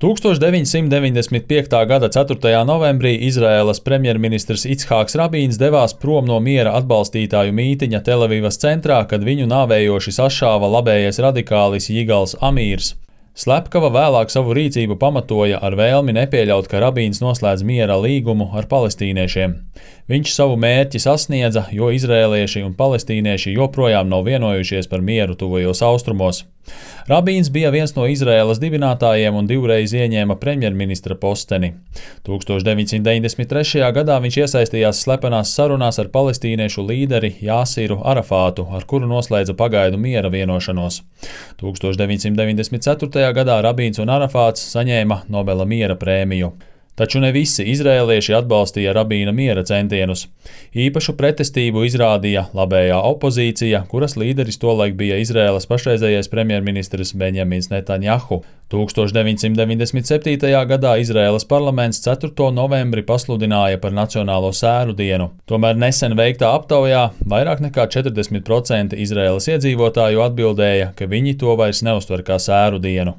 1995. gada 4. novembrī Izraēlas premjerministrs Ichāks Rabīns devās prom no miera atbalstītāju mītiņa Telavivas centrā, kad viņu nāvējoši sašāva labējais radikālis Jigals Amīrs. Slepkava vēlāk savu rīcību pamatoja ar vēlmi nepieļaut, ka Rabīns noslēdz miera līgumu ar palestīniešiem. Viņš savu mērķi sasniedza, jo izrēlieši un palestīnieši joprojām nav vienojušies par mieru tuvajos austrumos. Rabīns bija viens no Izraēlas dibinātājiem un divreiz ieņēma premjerministra posteni. 1993. gadā viņš iesaistījās slepenās sarunās ar palestīniešu līderi Jāsiru Arafātu, ar kuru noslēdza pagaidu miera vienošanos. 1994. gadā Rabīns un Arafāts saņēma Nobela miera prēmiju. Taču ne visi izrēlieši atbalstīja Rabīna miera centienus. Īpašu pretestību izrādīja labējā opozīcija, kuras līderis tolaik bija Izraēlas pašreizējais premjerministrs Benjamins Netanjahu. 1997. gadā Izraēlas parlaments 4. novembri pasludināja par Nacionālo sēru dienu. Tomēr nesen veiktā aptaujā vairāk nekā 40% Izraēlas iedzīvotāju atbildēja, ka viņi to vairs neuztver kā sēru dienu.